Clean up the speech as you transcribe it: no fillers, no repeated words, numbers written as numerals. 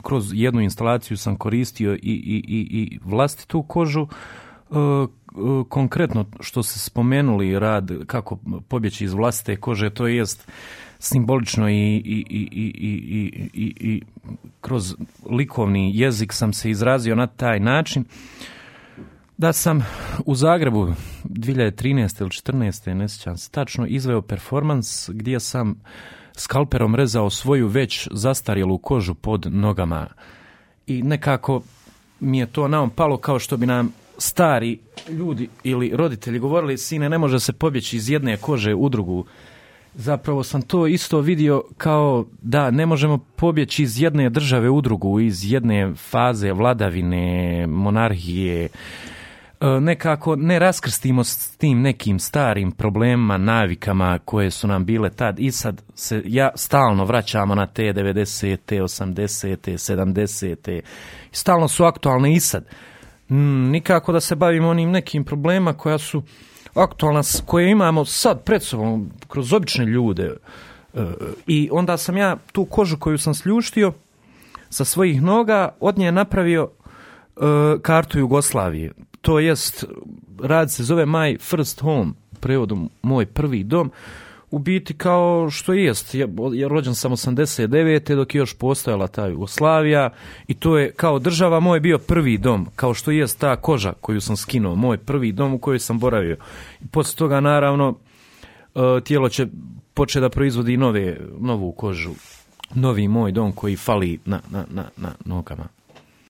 kroz jednu instalaciju sam koristio i vlastitu kožu. Konkretno što ste spomenuli rad kako pobjeći iz vlastite kože, to jest simbolično i kroz likovni jezik sam se izrazio na taj način da sam u Zagrebu 2013. ili 2014. ne sjećam se tačno, izveo performans gdje sam skalperom rezao svoju već zastarjelu kožu pod nogama. I nekako mi je to naum palo kao što bi nam stari ljudi ili roditelji govorili, sine, ne može se pobjeći iz jedne kože u drugu. Zapravo sam to isto vidio kao da ne možemo pobjeći iz jedne države u drugu, iz jedne faze vladavine, monarhije. Nekako ne raskrstimo s tim nekim starim problemima, navikama koje su nam bile tad i sad se stalno vraćamo na te 90. 80. 70. Stalno su aktualne i sad. Nikako da se bavimo onim nekim problemima koja su aktualna, koje imamo sad pred sobom kroz obične ljude. I onda sam ja tu kožu koju sam sljuštio sa svojih noga od nje napravio kartu Jugoslavije. To jest, rad se zove My First Home, prevodom moj prvi dom, u biti kao što jest. Ja rođen sam 89. dok je još postojala ta Jugoslavija i to je kao država moj bio prvi dom, kao što jest ta koža koju sam skinuo, moj prvi dom u kojoj sam boravio. I poslije toga naravno tijelo će početi da proizvodi novu kožu, novi moj dom koji fali na nogama.